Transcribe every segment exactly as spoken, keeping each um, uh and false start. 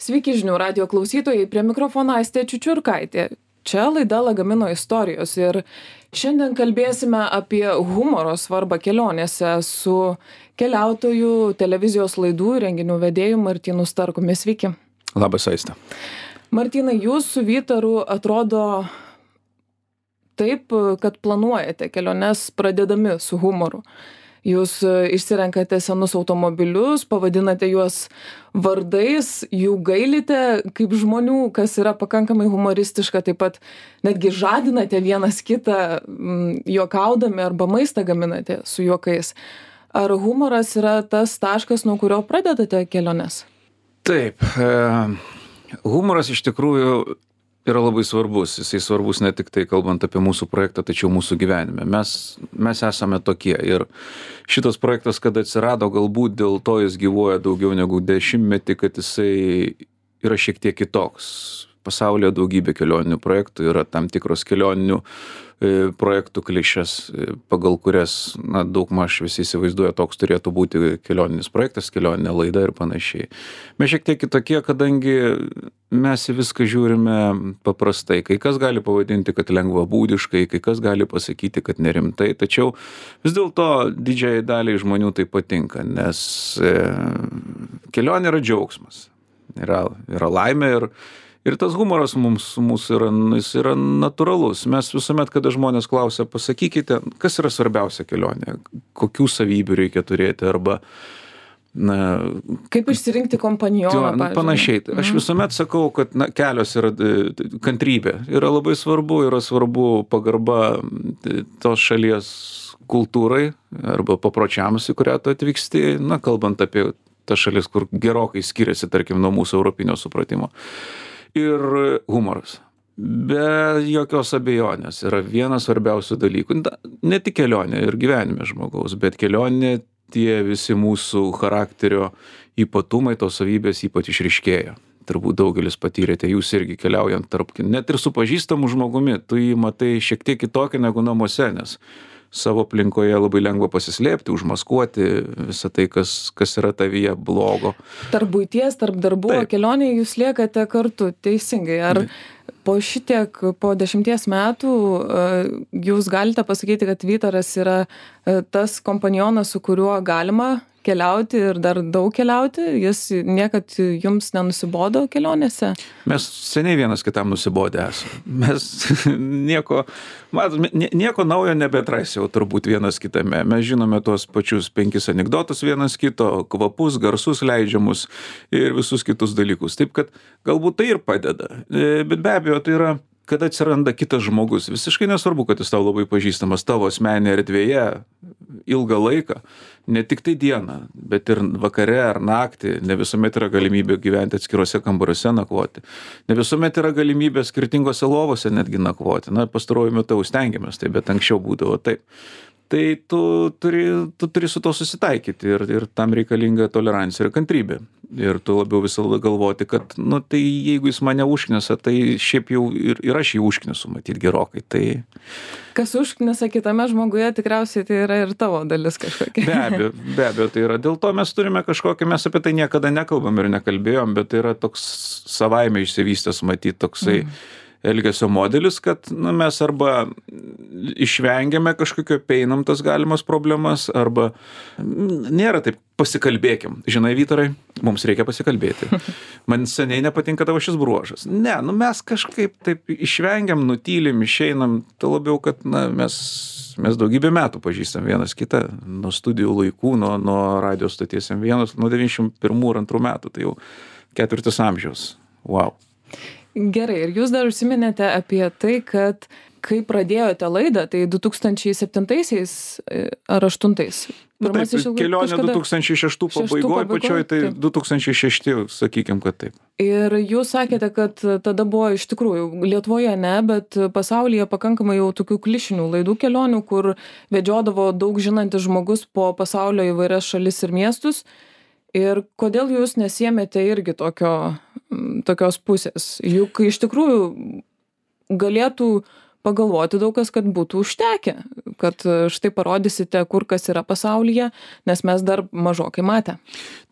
Sveiki žinių radijo klausytojai, prie mikrofono Aistė Čiučiurkaitė. Čia laida Lagamino istorijos ir šiandien kalbėsime apie humoro svarbą kelionėse su keliautoju, televizijos laidų ir renginių vedėju Martynu Starkumi. Sveiki. Labas, Aistė. Martynai, jūs su Vytaru atrodo taip, kad planuojate keliones pradedami su humoru. Jūs išsirenkate senus automobilius, pavadinate juos vardais, jų gailite kaip žmonių, kas yra pakankamai humoristiška, taip pat netgi žadinate vienas kitą juokaudami arba maistą gaminate su juokais. Ar humoras yra tas taškas, nuo kurio pradedate keliones? Taip, e, humoras iš tikrųjų yra labai svarbus. Jisai svarbus ne tik tai kalbant apie mūsų projektą, tačiau mūsų gyvenime. Mes, mes esame tokie ir šitas projektas, kada atsirado, galbūt dėl to jis gyvuoja daugiau negu dešimtmetį, kad jisai yra šiek tiek kitoks. Pasaulyje daugybė kelioninių projektų, yra tam tikros kelioninių e, projektų klišės, e, pagal kurias, na, daugmaž visi įsivaizduoja, toks turėtų būti kelioninis projektas, kelioninė laida ir panašiai. Mes šiek tiek kitokie, kadangi mes į viską žiūrime paprastai. Kai kas gali pavadinti, kad lengvabūdiškai, kai kas gali pasakyti, kad nerimtai, tačiau vis dėlto didžiai daliai žmonių tai patinka, nes e, kelionė yra džiaugsmas, yra, yra laimė ir Ir tas humoras mums, mūsų yra, jis yra natūralus. Mes visuomet, kada žmonės klausia, pasakykite, kas yra svarbiausia kelionė, kokių savybių reikia turėti arba... Na, kaip išsirinkti kompanioną, pavyzdžiui. Panašiai. Aš visuomet sakau, kad na, kelios yra kantrybė. Yra labai svarbu, yra svarbu pagarba tos šalies kultūrai arba papročiams, į kurią tu atvyksti, na, kalbant apie tas šalis, kur gerokai skiriasi, tarkim, nuo mūsų europinio supratimo. Ir humoras. Be jokios abejonės yra vienas svarbiausių dalykų. Ne tik kelionė ir gyvenime žmogaus, bet kelionė tie visi mūsų charakterio ypatumai, tos savybės ypač išryškėja. Turbūt daugelis patyrėte, jūs irgi keliaujant tarp, net ir su pažįstamu žmogumi, tu jį matai šiek tiek kitokį negu namuose, nes savo aplinkoje labai lengva pasislėpti, užmaskuoti visą tai, kas, kas yra tavyje blogo. Tarp buities, tarp darbų, Taip. Kelionėje jūs liekate kartu, teisingai. Ar po šitiek, po dešimties metų jūs galite pasakyti, kad Vytaras yra tas kompanionas, su kuriuo galima keliauti ir dar daug keliauti? Jis niekad jums nenusibodo kelionėse? Mes seniai vienas kitam nusibodę esame. Mes nieko, matom, nieko naujo nebeatrasi jau turbūt vienas kitame. Mes žinome tuos pačius penkis anekdotus vienas kito, kvapus, garsus leidžiamus ir visus kitus dalykus. Taip kad galbūt tai ir padeda. Bet be abejo, tai yra, kada atsiranda kitas žmogus. Visiškai nesvarbu, kad jis tau labai pažįstamas tavo asmeninėje erdvėje ilgą laiką. Ne tik tai dieną, bet ir vakare ar naktį. Ne visuomet yra galimybė gyventi atskiruose kambariuose nakvoti. Ne visuomet yra galimybė skirtingose lovose netgi nakvoti. Na, pastaruoju metu stengiamės, tai, bet anksčiau būdavo taip. Tai tu turi, tu turi su to susitaikyti ir, ir tam reikalinga tolerancija ir kantrybė. Ir tu labiau visą laiką galvoti, kad, nu, tai jeigu jis mane užknisa, tai šiaip jau ir, ir aš jį užknisu, matyt, gerokai. Tai... Kas užknisa kitame žmoguje, tikriausiai tai yra ir tavo dalis kažkokia. Be abejo, be abejo, tai yra. Dėl to mes turime kažkokį, mes apie tai niekada nekalbam ir nekalbėjom, bet tai yra toks savaime išsivystęs, matyt, toksai... Mm. elgesio modelis, kad nu, mes arba išvengiame kažkokio, peinam tas galimas problemas, arba nėra taip, pasikalbėkim. Žinai, Vytarai, mums reikia pasikalbėti. Man seniai nepatinka tavo šis bruožas. Ne, nu mes kažkaip taip išvengiam, nutylim, išeinam, tai labiau, kad na, mes, mes daugybę metų pažįstam vienas kitą, nuo studijų laikų, nuo, nuo radio stoties M vienas, nuo devyniasdešimt pirmų ir antrų metų, tai jau ketvirtis amžiaus. Wow. Gerai, ir jūs dar užsiminėte apie tai, kad kai pradėjote laidą, tai du tūkstančiai septintaisiais ar aštuntais? Na, taip, kelionė kažkada... du tūkstančiai šeštų pabaigoje, pačioj, tai taip. du tūkstančiai šešti, sakykim, kad taip. Ir jūs sakėte, kad tada buvo iš tikrųjų, Lietuvoje ne, bet pasaulyje pakankamai jau tokių klišinių laidų kelionių, kur vedžiodavo daug žinantis žmogus po pasaulio įvairias šalis ir miestus. Ir kodėl jūs nesiėmėte irgi tokio, tokios pusės? Juk iš tikrųjų galėtų pagalvoti daug kas, kad būtų užtekę, kad štai parodysite, kur kas yra pasaulyje, nes mes dar mažokai matę.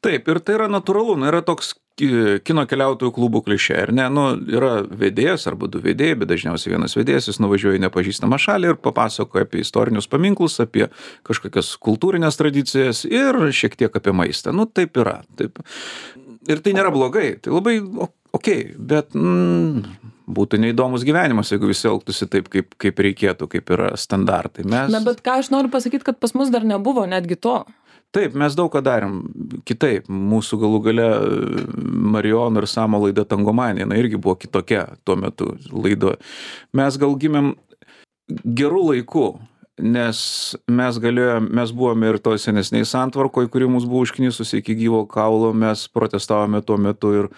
Taip, ir tai yra natūralu, nu, yra toks kino keliautojų klubų klišė, ar ne? Nu, yra vedėjas arba du vedėjai, bet dažniausiai vienas vedėjas, jis nuvažiuoja į nepažįstamą šalį ir papasakoja apie istorinius paminklus, apie kažkokias kultūrinės tradicijas ir šiek tiek apie maistą. Nu, taip yra. Taip. Ir tai nėra blogai, tai labai okei, okay, bet mm, būtų neįdomus gyvenimas, jeigu visi elgtųsi taip, kaip, kaip reikėtų, kaip yra standartai. Mes... Na, bet ką aš noriu pasakyti, kad pas mus dar nebuvo netgi to. Taip, mes daug ką darėm kitaip. Mūsų galų gale Marijono ir Samo laida Tangomanija, na irgi buvo kitokia tuo metu laido. Mes gal gimėm gerų laikų, nes mes galėjom, mes buvome ir toj senesniai santvarkoj, kuri mus buvo užknisusi iki gyvo kaulo, mes protestavome tuo metu ir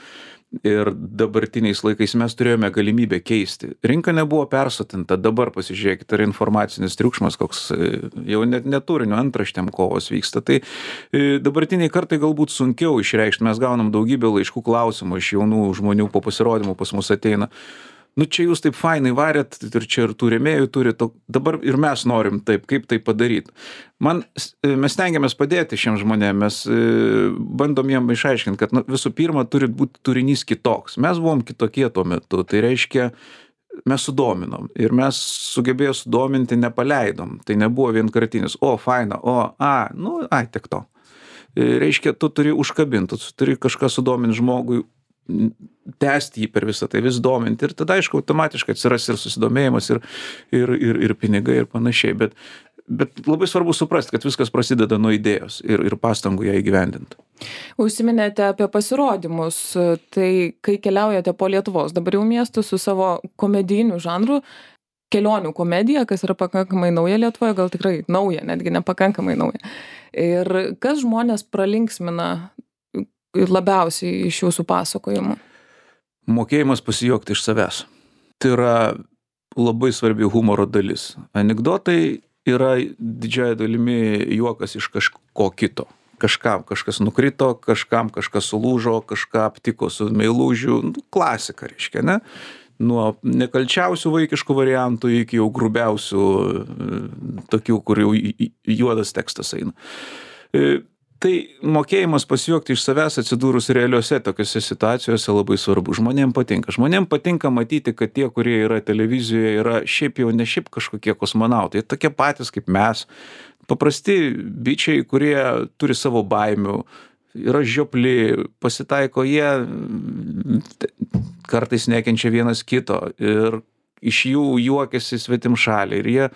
ir dabartiniais laikais mes turėjome galimybę keisti. Rinka nebuvo persotinta, dabar pasižiūrėkite, ar informacinis triukšmas, koks jau net neturinio antraštėm kovos vyksta. Tai dabartiniai kartai galbūt sunkiau išreikšti, mes gaunam daugybę laiškų klausimų iš jaunų žmonių po pasirodymų pas mus ateina. Nu čia jūs taip fainai varėt ir čia ir tų rėmėjų turit, dabar ir mes norim taip, kaip tai padaryti. Man, mes stengiamės padėti šiem žmonėm, mes bandom jiem išaiškinti, kad nu, visų pirma turi būti turinys kitoks. Mes buvom kitokie tuo metu, tai reiškia, mes sudominom ir mes sugebėjo sudominti, nepaleidom. Tai nebuvo vienkartinis, o faina, o, a, nu, ai, tik to. Reiškia, tu turi užkabinti, tu turi kažką sudominti žmogui, tęsti jį per visą tai, vis dominti ir tada, aišku, automatiškai atsiras ir susidomėjimas ir, ir, ir, ir pinigai ir panašiai, bet, bet labai svarbu suprasti, kad viskas prasideda nuo idėjos ir, ir pastangų ją įgyvendinti. Užsiminėte apie pasirodymus, tai kai keliaujate po Lietuvos, dabar jau miestus su savo komedijiniu žanru, kelionių komedija, kas yra pakankamai nauja Lietuvoje, gal tikrai nauja, netgi nepakankamai nauja. Ir kas žmonės pralinksmina labiausiai iš jūsų pasakojimų? Mokėjimas pasijuokti iš savęs. Tai yra labai svarbi humoro dalis. Anekdotai yra didžiąja dalimi juokas iš kažko kito. Kažkam kažkas nukrito, kažkam kažkas sulūžo, kažką aptiko su meilužiu. Klasika, reiškia, ne? Nuo nekalčiausių vaikiškų variantų iki jau grubiausių, tokių, kur jau juodas tekstas eina. Tai mokėjimas pasijuokti iš savęs atsidūrus realiuose tokiuose situacijose labai svarbu. Žmonėm patinka. Žmonėm patinka matyti, kad tie, kurie yra televizijoje, yra šiaip jau ne šiaip kažkokie kosmonautai. Tokie patys kaip mes. Paprasti bičiai, kurie turi savo baimių, yra žiopli, pasitaiko jie, kartais nekenčia vienas kito ir iš jų juokiasi svetimšaliai. Ir jie,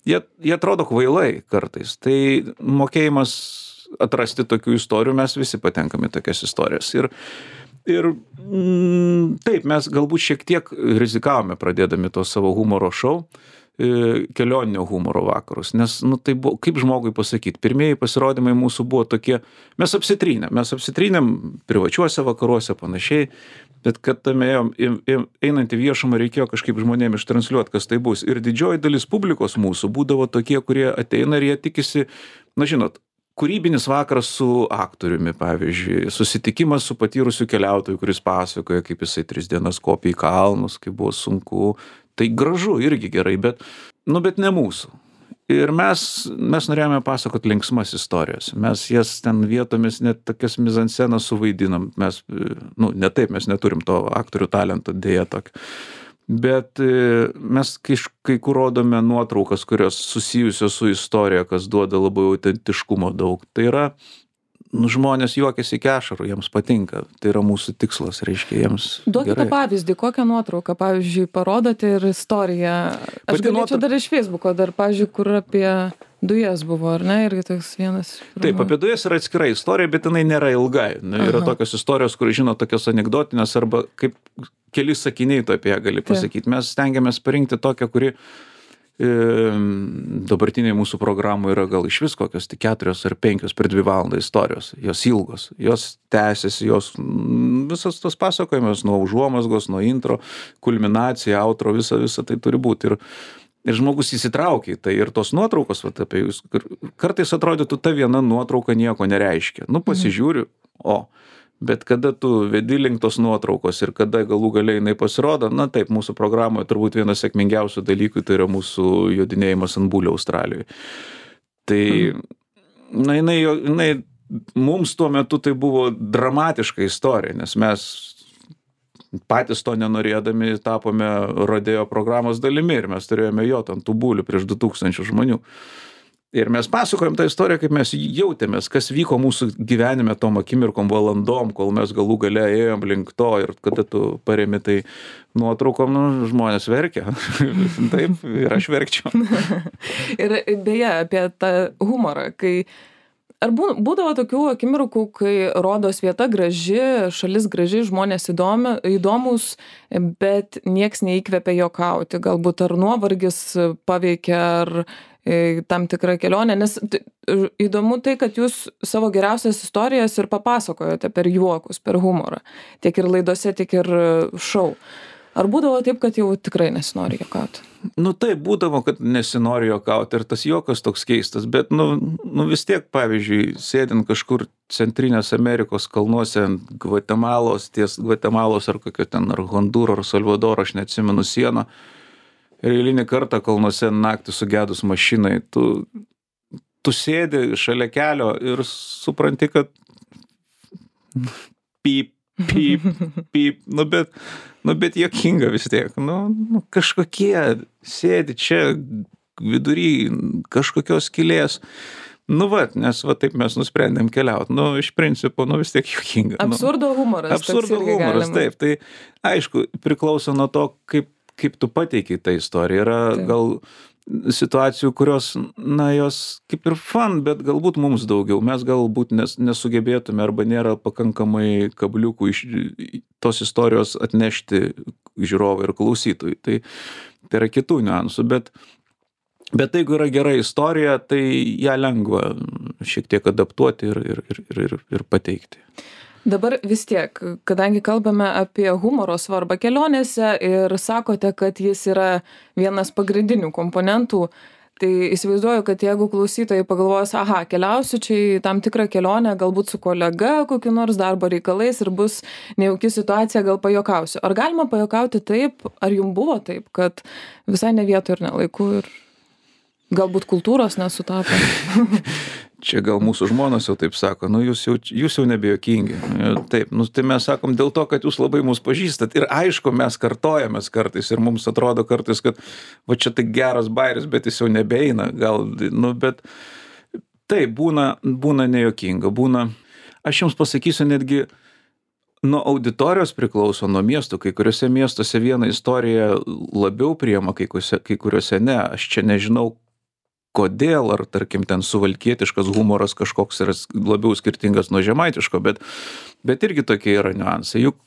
jie, jie atrodo kvailai kartais. Tai mokėjimas atrasti tokių istorijų, mes visi patenkame tokias istorijas. Ir, ir mm, taip, mes galbūt šiek tiek rizikavome pradėdami to savo humoro šou, kelioninio humoro vakarus, nes, nu, tai buvo, kaip žmogui pasakyti, pirmieji pasirodymai mūsų buvo tokie, mes apsitrynėm, mes apsitrynėm privačiuose vakaruose panašiai, bet kad tame einant į viešumą reikėjo kažkaip žmonėm ištransliuoti, kas tai bus. Ir didžioji dalis publikos mūsų būdavo tokie, kurie ateina ir jie tikisi, na žinot, kūrybinis vakaras su aktoriumi, pavyzdžiui, susitikimas su patyrusiu keliautoju, kuris pasakoja, kaip jisai tris dienas kopė į kalnus, kaip buvo sunku. Tai gražu irgi gerai, bet, nu, bet ne mūsų. Ir mes, mes norėjome pasakoti linksmas istorijas. Mes jas ten vietomis net tokias mizanscenas suvaidinam. Mes, nu, ne taip, mes neturim to aktorių talento, dėja tokio. Bet mes kai, kai kur rodome nuotraukas, kurios susijusios su istorija, kas duoda labai autentiškumo daug. Tai yra, nu, žmonės juokiasi iki ašarų, jiems patinka. Tai yra mūsų tikslas, reiškia, jiems Duokite gerai. Pavyzdį, kokią nuotrauką, pavyzdžiui, parodote ir istoriją. Aš Pati galėčiau nuotra... dar iš Facebooko, dar, pavyzdžiui, kur apie dujas buvo, ar ne? Irgi toks vienas. Taip, apie dujas yra atskira istorija, bet jinai nėra ilgai. Yra Aha. tokios istorijos, kur žino tokios anekdotinės arba kaip keli sakiniai tu apie ją gali pasakyti. Mes stengiamės parinkti tokią, kuri e, dabartiniai mūsų programų yra gal iš vis kokios tik keturios ar penkios per dvi valandą istorijos. Jos ilgos, jos tęsiasi, jos visas tos pasakojimas nuo užuomazgos, nuo intro, kulminacija, outro, visa, visa tai turi būti. Ir, ir žmogus įsitraukia į tai. Ir tos nuotraukos, vat, apie jūs, kartais atrodytų, ta viena nuotrauka nieko nereiškia. Nu, pasižiūriu, o Bet kada tu vedi link tos nuotraukos ir kada galų galiai jinai pasirodo, na taip, mūsų programoje turbūt vienas sėkmingiausių dalykų tai yra mūsų jodinėjimas ant bulio Australijoje. Tai, na, jinai, jinai, mums tuo metu tai buvo dramatiška istorija, nes mes patys to nenorėdami tapome rodeo programos dalimi ir mes turėjome jot ant tų bulių prieš du tūkstančius žmonių. Ir mes pasakojom tą istoriją, kaip mes jautėmės, kas vyko mūsų gyvenime tom akimirkom, valandom, kol mes galų gale ėjom link to ir kada tu paremi tai nuotraukom, nu, žmonės verkia. Taip, ir aš verkčiau. Ir beje, apie tą humorą, kai ar būdavo tokių akimirkų, kai rodos vieta graži, šalis graži, žmonės įdomi, įdomus, bet nieks neįkvepia juokauti, galbūt ar nuovargis paveikia, ar tam tikrą kelionę, nes įdomu tai, kad jūs savo geriausias istorijas ir papasakojote per juokus, per humorą, tiek ir laidose, tiek ir šou. Ar būdavo taip, kad jau tikrai nesinori juokauti? Nu taip, būdavo, kad nesinori juokauti ir tas juokas toks keistas, bet nu, nu vis tiek, pavyzdžiui, sėdint kažkur Centrinės Amerikos kalnuose ant Gvatemalos, ties Gvatemalos ar kokio ten, ar Hondūro, ar Salvadoro, aš neatsimenu sieną, ir eilinį kartą kalnuose naktį sugedus mašinai, tu, tu sėdi šalia kelio ir supranti, kad pyp, pyp, pyp, nu bet, nu bet juokinga vis tiek, nu, nu kažkokie sėdi čia vidury kažkokios skylės, nu va, nes va taip mes nusprendėm keliauti, nu iš principo, nu vis tiek juokinga. Absurdo humoras. Absurdo humoras, taip, tai aišku, priklauso nuo to, kaip kaip tu pateikiai tą istoriją. Yra taip. Gal situacijų, kurios, na, jos kaip ir fun, bet galbūt mums daugiau. Mes galbūt nes, nesugebėtume arba nėra pakankamai kabliukų iš tos istorijos atnešti žiūrovai ir klausytojai. Tai, tai yra kitų niuansų, bet, bet jeigu yra gera istorija, tai ją lengva šiek tiek adaptuoti ir, ir, ir, ir, ir pateikti. Dabar vis tiek, kadangi kalbame apie humoro svarbą kelionėse ir sakote, kad jis yra vienas pagrindinių komponentų, tai įsivaizduoju, kad jeigu klausytojai pagalvos, aha, keliausiu čia į tam tikrą kelionę, galbūt su kolega kokiu nors darbo reikalais ir bus nejauki situacija, gal pajuokausiu. Ar galima pajuokauti taip, ar jums buvo taip, kad visai ne vietoj ir ne laiku ir galbūt kultūros nesutapo? Čia gal mūsų žmonos jau taip sako, nu jūs jau, jūs jau nebejokingi. Taip, nu tai mes sakom dėl to, kad jūs labai mus pažįstat. Ir aišku, mes kartojamės kartais ir mums atrodo kartais, kad va čia tai geras bairis, bet jis jau nebeina. Gal, nu bet taip, būna, būna nejokinga. Būna, aš jums pasakysiu netgi, nuo auditorijos priklauso, nuo miestų. Kai kuriuose miestuose vieną istoriją labiau priima, kai kuriuose, kai kuriuose ne. Aš čia nežinau, kodėl, ar tarkim ten suvalkietiškas humoras kažkoks yra labiau skirtingas nuo žemaitiško, bet, bet irgi tokie yra niuansai. Juk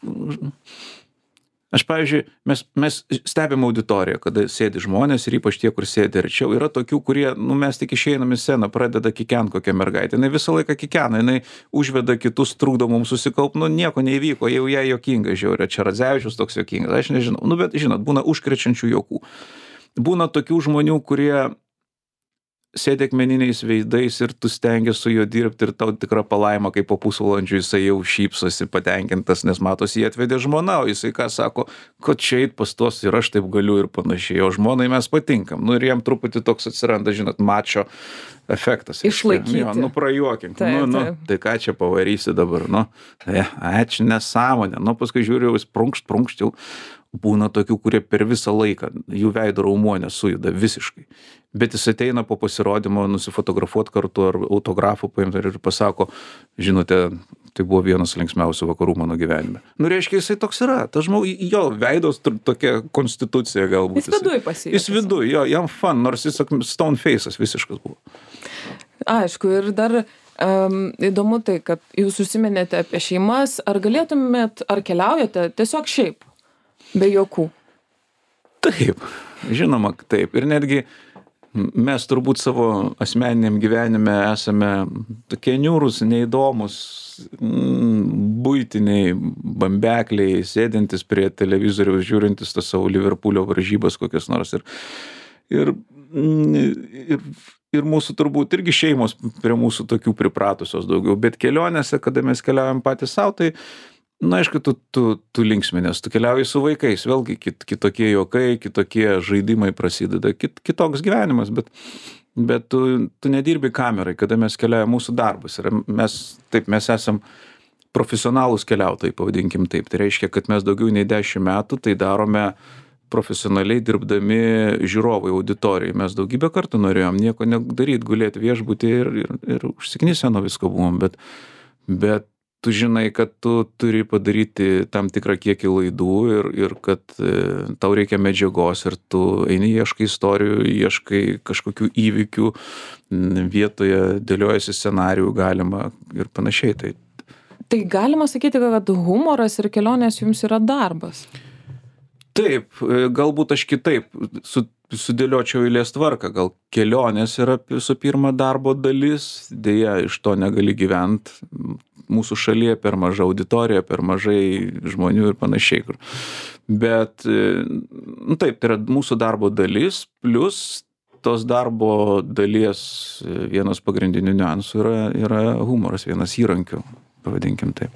aš, pavyzdžiui, mes, mes stebim auditoriją, kada sėdi žmonės ir ypač tie, kur sėdi arčiau. Yra tokių, kurie, nu mes tik išeinam į sceną, pradeda kikent kokią mergaitę. Jinai visą laiką kikena, jinai užveda kitus, trukdo mums susikaupt, nu nieko neįvyko, jau jai juokinga žiūrė. Čia Radzevičius toks juokingas, aš nežinau. Nu bet, žinot, būna užkrečiančių juokų. Būna tokių žmonių, kurie sėdi akmeniniais veidais ir tu stengies su juo dirbti ir tau tikra palaima, kaip po pusvalandžių jisai jau šypsosi patenkintas, nes matos, jį atvedė žmona, o jisai ką sako, kad čia eit pas tos ir aš taip galiu ir panašiai, o žmonai mes patinkam. Nu ir jam truputį toks atsiranda, žinot, mačo efektas. Išlaikyti. Jo, nu prajuokink, taip, nu, nu, tai ką čia pavarysi dabar, nu, e, ačiū, nesąmonė, nu paskui žiūriu, jis prunkšt, prunkšt jau. Būna tokių, kurie per visą laiką jų veido raumuo nesujuda visiškai. Bet jis ateina po pasirodymo nusifotografuoti kartu ar autografų paimti ir pasako, žinote, tai buvo vienas linksmiausių vakarų mano gyvenime. Nu, reiškia, jisai toks yra. Tas žmogus, jo veidos tokia konstitucija galbūt. Jis viduj pasijuokęs. Jis viduj, jo, jam fun, nors jis stone face'as visiškas buvo. Aišku, ir dar um, įdomu tai, kad jūs užsiminėte apie šeimas. Ar galėtumėt, ar keliaujate tiesiog šiaip? Be jokų. Taip, žinoma, taip. Ir netgi mes turbūt savo asmeniniam gyvenime esame tokie niūrūs, neįdomus, buitiniai bambekliai, sėdintis prie televizoriaus, žiūrintis tas savo Liverpoolio varžybas kokias nors. Ir, ir ir, ir mūsų turbūt irgi šeimos prie mūsų tokių pripratusios daugiau, bet kelionėse, kada mes keliaujam patys savo, tai, na, aišku, tu, tu, tu linksminės, tu keliauji su vaikais, vėlgi kit, kitokie juokai, kitokie žaidimai prasideda, kit, kitoks gyvenimas, bet, bet tu, tu nedirbi kamerai, kada mes keliaujam mūsų darbas. Ir mes, taip, mes esam profesionalūs keliautojai, pavadinkim taip. Tai reiškia, kad mes daugiau nei dešimt metų tai darome profesionaliai dirbdami žiūrovai auditorijai. Mes daugybę kartų norėjom nieko nedaryti, gulėti viešbutį ir, ir, ir užsiknisę nuo visko buvom, bet, bet tu žinai, kad tu turi padaryti tam tikrą kiekį laidų ir, ir kad e, tau reikia medžiagos ir tu eini, ieškai istorijų, ieškai kažkokių įvykių, vietoje dėliojasi scenarijų galima ir panašiai. Tai, tai galima sakyti, kad humoras ir kelionės jums yra darbas? Taip, galbūt aš kitaip su, sudėliočiau eilės tvarką. Gal kelionės yra visų pirma darbo dalis, dėja iš to negali gyventi. Mūsų šalyje per maža auditorija, per mažai žmonių ir panašiai. Bet, nu taip, tai yra mūsų darbo dalis, plus tos darbo dalies vienas pagrindinių niuansų yra, yra humoras, vienas įrankių. Pavadinkim taip.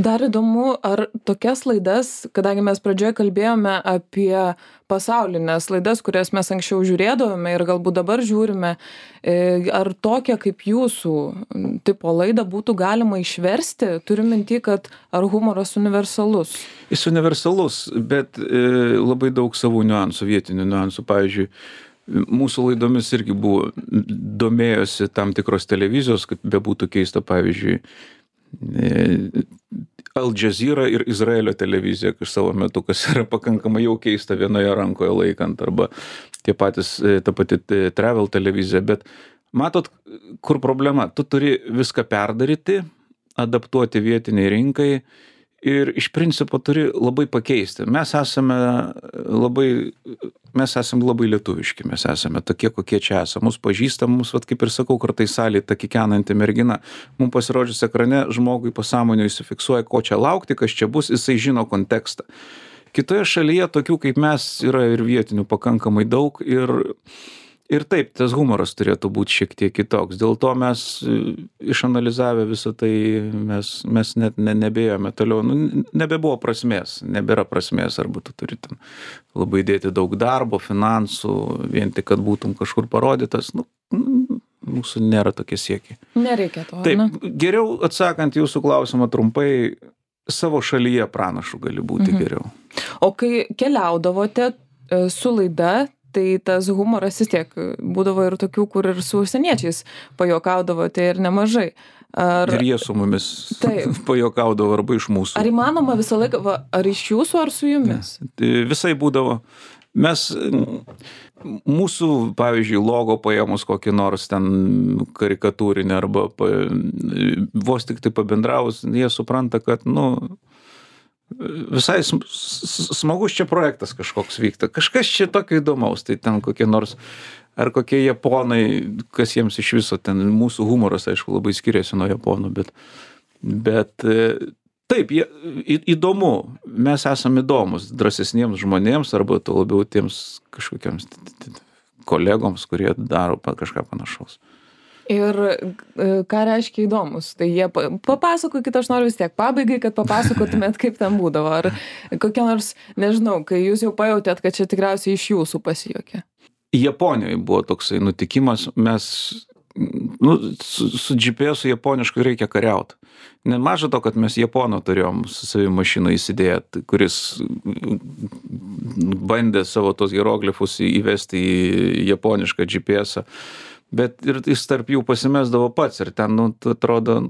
Dar įdomu, ar tokias laidas, kadangi mes pradžioje kalbėjome apie pasaulinės laidas, kurias mes anksčiau žiūrėdavome ir galbūt dabar žiūrime, ar tokią kaip jūsų tipo laidą būtų galima išversti? Turiu minty, kad ar humoras universalus? Jis universalus, bet e, labai daug savų niuansų, vietinių niuansų. Pavyzdžiui, mūsų laidomis irgi buvo, domėjosi tam tikros televizijos, kad bebūtų keista, pavyzdžiui, Al Jazeera ir Izraelio televizija, kai savo metu, kas yra pakankamai jau keista vienoje rankoje laikant, arba tie patys, ta pati travel televizija, bet matot, kur problema, tu turi viską perdaryti, adaptuoti vietiniai rinkai ir iš principo turi labai pakeisti. Mes esame labai, mes esame labai lietuviški, mes esame tokie, kokie čia esame. Mūsų pažįstam, mūsų, vat, kaip ir sakau, kartais salėje ta kikenanti mergina. Mums pasirodžius ekrane, žmogui pasąmonėje įsifiksuoja, ko čia laukti, kas čia bus, jisai žino kontekstą. Kitoje šalyje tokių kaip mes yra ir vietinių pakankamai daug ir Ir taip, tas humoras turėtų būti šiek tiek kitoks. Dėl to mes išanalizavę visą tai, mes, mes net ne, nebėjome toliau. Nu, nebebuvo prasmės, nebėra prasmės, arba tu turi ten labai dėti daug darbo, finansų, vien tik, kad būtum kažkur parodytas. Nu, mūsų nėra tokie siekiai. Nereikia to. Taip, ne? Geriau atsakant jūsų klausimą trumpai, savo šalyje pranašu gali būti mhm. geriau. O kai keliaudavote su laida, tai tas humoras vis tiek būdavo ir tokių, kur ir su užsieniečiais pajuokaudavote ir nemažai. Ar... Ir jie su mumis pajuokaudavo arba iš mūsų. Ar įmanoma visą laiką, va, ar iš jūsų, ar su jumis? Ne. Visai būdavo. Mes, mūsų, pavyzdžiui, logo paėmus kokį nors ten karikatūrinį arba pa, vos tik tai pabendravus, jie supranta, kad, nu, visai smagus čia projektas kažkoks vyksta. Kažkas čia tokio įdomaus. Tai ten kokie nors, ar kokie japonai, kas jiems iš viso, ten mūsų humoras, aišku, labai skiriasi nuo japonų, bet, bet taip, jie, įdomu. Mes esame įdomus drąsesniems žmonėms, arba to labiau tiems kažkokiems kolegoms, kurie daro kažką panašaus. Ir ką reiškia įdomus? Tai jie papasakokit, aš noriu vis tiek pabaigai, kad papasakotumėt, kaip ten būdavo. Ar kokia nors, nežinau, kai jūs jau pajautėt, kad čia tikriausiai iš jūsų pasijuokė. Japonijoje buvo toksai nutikimas, mes, nu, su, su G P S-u japonišku reikia kariauti. Nemaža to, kad mes Japono turėjom su savimi mašiną įsidėję, kuris bandė savo tos hieroglifus įvesti į japonišką G P S-ą. Bet ir jis tarp jų pasimesdavo pats ir ten, nu, atrodo,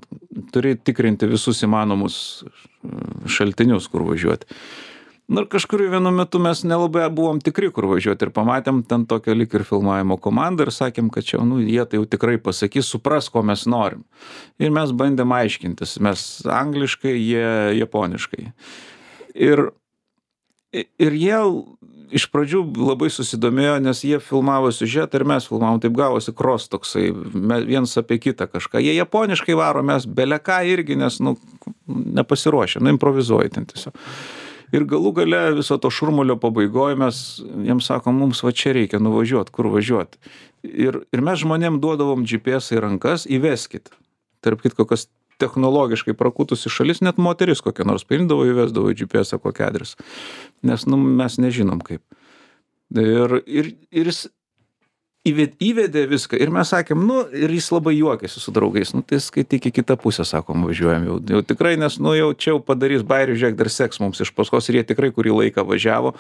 turi tikrinti visus įmanomus šaltinius, kur važiuoti. Na ir kažkur vienu metu mes nelabai buvom tikri, kur važiuoti ir pamatėm ten tokią lyg ir filmavimo komandą ir sakėm, kad čia, nu, jie tai jau tikrai pasakys, supras, ko mes norim. Ir mes bandėm aiškintis, mes angliškai, jie japoniškai. Ir, ir jie iš pradžių labai susidomėjo, nes jie filmavo siužetą ir mes filmavom, taip gavosi cross toksai, vienas apie kitą kažką. Jie japoniškai varo, mes beleką irgi, nes, nu, nepasiruošę, nu, improvizuoja ten tiesiog. Ir galų gale viso to šurmulio pabaigoje mes jiems sakom, mums va čia reikia nuvažiuoti, kur važiuoti. Ir, ir mes žmonėm duodavom G P S į rankas, įveskit. Tarp kitko, kas technologiškai prakutusi šalis, net moteris kokia nors paimdavo, įvesdavo į G P S kokį adresą. Nes nu, mes nežinom kaip. Ir, ir, ir jis įvedė viską ir mes sakėm, nu, ir jis labai juokėsi su draugais, nu, tai skaityk į kitą pusę, sakom, važiuojam jau, jau tikrai, nes, nu, jau čia jau padarys bairių, žiūrėk, dar seks mums iš paskos ir jie tikrai kurį laiką važiavo,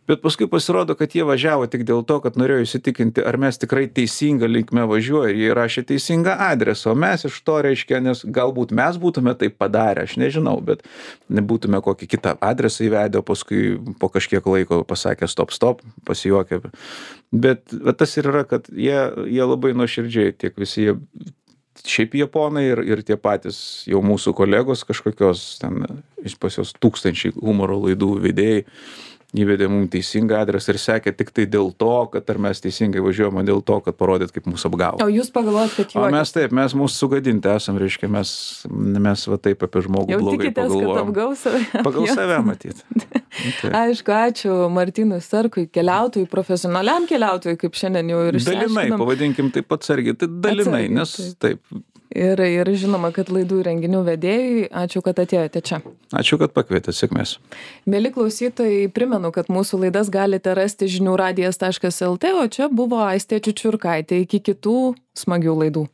bet paskui pasirodo, kad jie važiavo tik dėl to, kad norėjo įsitikinti, ar mes tikrai teisingą linkme važiuoja ir jie rašė teisingą adresą, o mes iš to reiškia, nes galbūt mes būtume tai padarę, aš nežinau, bet nebūtume kokį kitą adresą įvedę, o paskui po kažkiek laiko pasakė stop, stop, pasijuokė. Bet va, tas ir yra, kad jie, jie labai nuoširdžiai, tiek visi jie, šiaip japonai ir, ir tie patys jau mūsų kolegos kažkokios, ten pas jos tūkstančiai humoro laidų vedėjai, įvedė mums teisingą adresą ir sekė tik tai dėl to, kad ar mes teisingai važiuojame, dėl to, kad parodyt, kaip mūsų apgavo. O jūs pagalvojat, kad juokės? O mes taip, mes mūsų sugadinti esam, reiškia, mes, mes va taip apie žmogų jau blogai tikitės, pagalvojom. Kad apgaus save? Pagal save matyti. Aišku, ačiū Martynui Starkui, keliautojui, profesionaliam keliautojui, kaip šiandien jau ir išsiaiškinom. Dalinai, pavadinkim taip atsargiai, tai dalinai, Atsargiai, nes taip. taip. Ir, ir žinoma, kad laidų renginių vedėjai, ačiū, kad atėjote čia. Ačiū, kad pakvietėte, sėkmės. Mieli klausytojai, primenu, kad mūsų laidas galite rasti žinių radijas taškas el tė, o čia buvo Aistė Čiučiurkaitė. Iki kitų smagių laidų.